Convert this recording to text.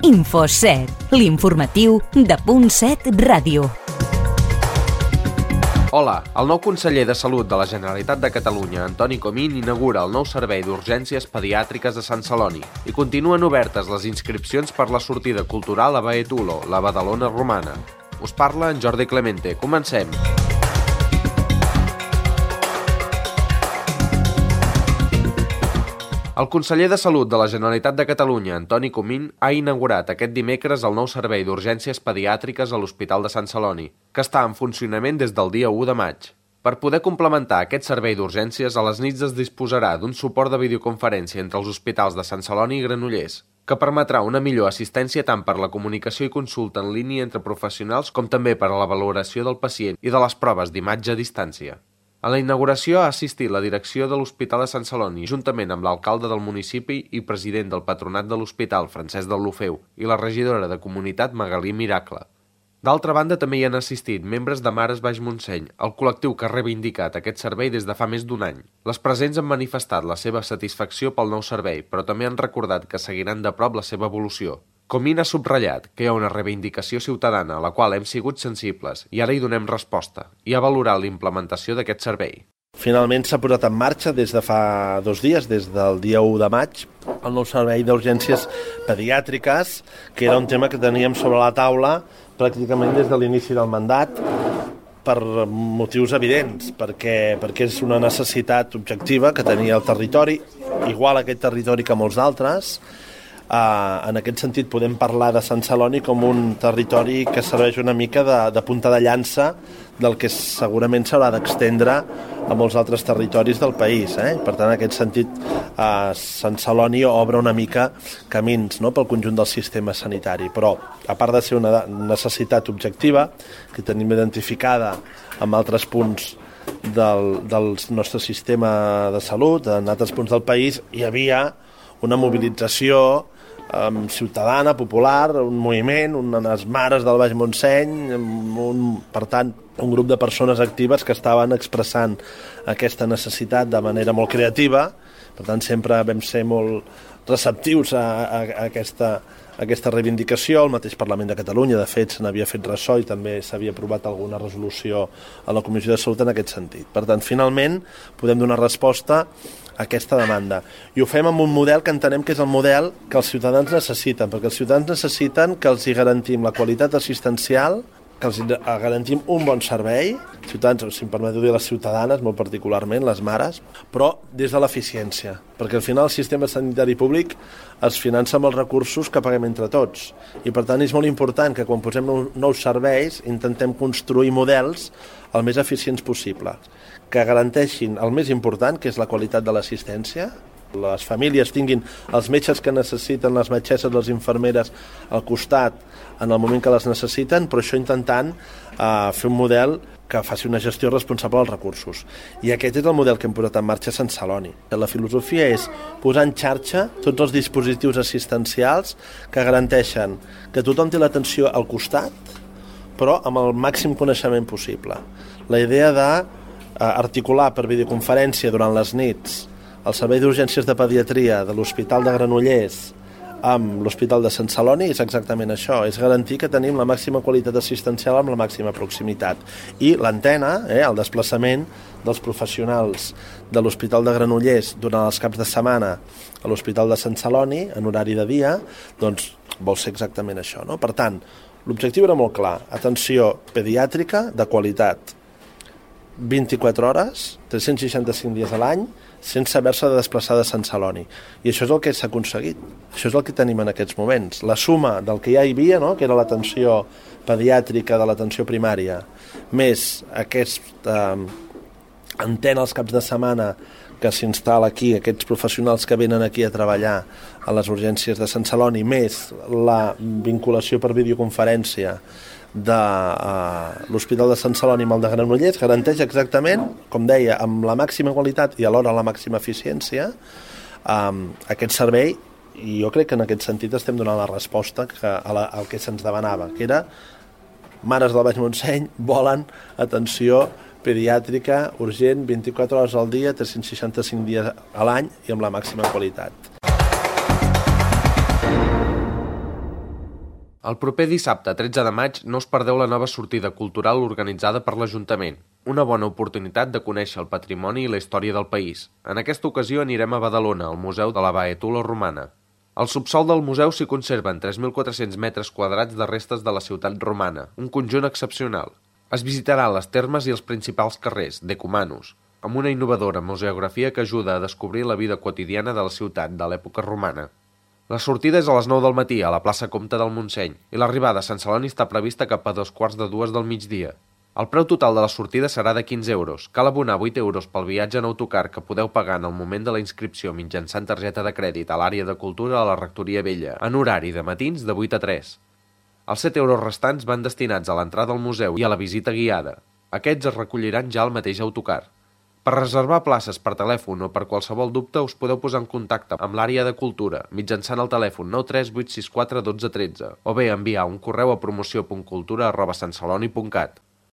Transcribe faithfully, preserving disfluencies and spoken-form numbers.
InfoSet, l'informatiu de Punt set Ràdio. Hola, el nou conseller de Salut de la Generalitat de Catalunya, Antoni Comín, inaugura el nou servei d'urgències pediàtriques de Sant Celoni i continuen obertes les inscripcions per la sortida cultural a Baetulo, la Badalona romana. Us parla en Jordi Clemente. Comencem! El conseller de Salut de la Generalitat de Catalunya, Antoni Comín, ha inaugurat aquest dimecres el nou servei d'urgències pediàtriques a l'Hospital de Sant Celoni, que està en funcionament des del dia u de maig. Per poder complementar aquest servei d'urgències, a les nits es disposarà d'un suport de videoconferència entre els hospitals de Sant Celoni i Granollers, que permetrà una millor assistència tant per la comunicació i consulta en línia entre professionals com també per a la valoració del pacient i de les proves d'imatge a distància. A la inauguració ha assistit la direcció de l'Hospital de Sant Celoni, juntament amb l'alcalde del municipi i president del patronat de l'hospital, Francesc Deulofeu, i la regidora de Comunitat, Magalí Miracle. D'altra banda, també hi han assistit membres de Mares Baix Montseny, el col·lectiu que ha reivindicat aquest servei des de fa més d'un any. Les presents han manifestat la seva satisfacció pel nou servei, però també han recordat que seguiran de prop la seva evolució. Comín ha subratllat que hi ha una reivindicació ciutadana a la qual hem sigut sensibles i ara hi donem resposta i ha valorat la implementació d'aquest servei. Finalment s'ha posat en marxa des de fa dos dies, des del dia u de maig, el nou servei d'urgències pediàtriques, que era un tema que teníem sobre la taula pràcticament des de l'inici del mandat, per motius evidents, perquè, perquè és una necessitat objectiva que tenia el territori, igual aquest territori que molts d'altres. Uh, en aquest sentit podem parlar de Sant Celoni com un territori que serveix una mica de, de punta de llança del que segurament s'haurà d'extendre a molts altres territoris del país. Eh? Per tant, en aquest sentit, uh, Sant Celoni obre una mica camins, no?, pel conjunt del sistema sanitari. Però, a part de ser una necessitat objectiva, que tenim identificada amb altres punts del, del nostre sistema de salut, en altres punts del país, hi havia una mobilització um, ciutadana, popular, un moviment, unes mares del Baix Montseny, un, per tant, un grup de persones actives que estaven expressant aquesta necessitat de manera molt creativa. Per tant, sempre vam ser molt receptius a, a, a, aquesta, a aquesta reivindicació. El mateix Parlament de Catalunya, de fet, se n'havia fet ressò i també s'havia aprovat alguna resolució a la Comissió de Salut en aquest sentit. Per tant, finalment, podem donar resposta a aquesta demanda. I ho fem amb un model que entenem que és el model que els ciutadans necessiten, perquè els ciutadans necessiten que els hi garantim la qualitat assistencial, que els garantim un bon servei, ciutadans, si em permeteu dir les ciutadanes, molt particularment, les mares, però des de l'eficiència, perquè al final el sistema sanitari públic es finança amb els recursos que paguem entre tots. I per tant és molt important que quan posem nous serveis intentem construir models el més eficients possible, que garanteixin el més important, que és la qualitat de l'assistència, les famílies tinguin els metges que necessiten, les metgesses, les infermeres al costat en el moment que les necessiten, però això intentant eh, fer un model que faci una gestió responsable dels recursos. I aquest és el model que hem posat en marxa a Sant Celoni. La filosofia és posar en xarxa tots els dispositius assistencials que garanteixen que tothom té l'atenció al costat, però amb el màxim coneixement possible. La idea de articular per videoconferència durant les nits el servei d'urgències de pediatria de l'Hospital de Granollers amb l'Hospital de Sant Celoni és exactament això, és garantir que tenim la màxima qualitat assistencial amb la màxima proximitat. I l'antena, eh, el desplaçament dels professionals de l'Hospital de Granollers durant els caps de setmana a l'Hospital de Sant Celoni, en horari de dia, doncs vol ser exactament això, no? Per tant, l'objectiu era molt clar, atenció pediàtrica de qualitat, vint-i-quatre hores, tres-cents seixanta-cinc dies a l'any, sense haver-se de desplaçar de Sant Celoni. I això és el que s'ha aconseguit. Això és el que tenim en aquests moments. La suma del que ja hi havia, no?, que era l'atenció pediàtrica de l'atenció primària, més aquesta eh, antena als caps de setmana que s'instal·la aquí, aquests professionals que venen aquí a treballar a les urgències de Sant Celoni, més la vinculació per videoconferència de uh, l'Hospital de Sant Celoni amb el de Granollers, garanteix exactament, com deia, amb la màxima qualitat i alhora la màxima eficiència um, aquest servei, i jo crec que en aquest sentit estem donant la resposta que, a la, al que se'ns demanava, que era mares del Baix Montseny volen atenció pediàtrica urgent vint-i-quatre hores al dia, tres-cents seixanta-cinc dies a l'any i amb la màxima qualitat. El proper dissabte, tretze de maig, no us perdeu la nova sortida cultural organitzada per l'Ajuntament. Una bona oportunitat de conèixer el patrimoni i la història del país. En aquesta ocasió anirem a Badalona, al Museu de la Baetula Romana. Al subsòl del museu s'hi conserven tres mil quatre-cents metres quadrats de restes de la ciutat romana, un conjunt excepcional. Es visitaran les termes i els principals carrers, decumanus, amb una innovadora museografia que ajuda a descobrir la vida quotidiana de la ciutat de l'època romana. La sortida és a les nou del matí a la plaça Comte del Montseny i l'arribada a Sant Celoni està prevista cap a dos quarts de dues del migdia. El preu total de la sortida serà de quinze euros. Cal abonar vuit euros pel viatge en autocar que podeu pagar en el moment de la inscripció mitjançant targeta de crèdit a l'àrea de cultura a la Rectoria Vella, en horari de matins de vuit a tres. Els set euros restants van destinats a l'entrada al museu i a la visita guiada. Aquests es recolliran ja al mateix autocar. Per reservar places per telèfon o per qualsevol dubte us podeu posar en contacte amb l'àrea de cultura mitjançant el telèfon nou tres vuit sis quatre un dos un tres o bé enviar un correu a promoció punt cultura arroba santceloni punt cat.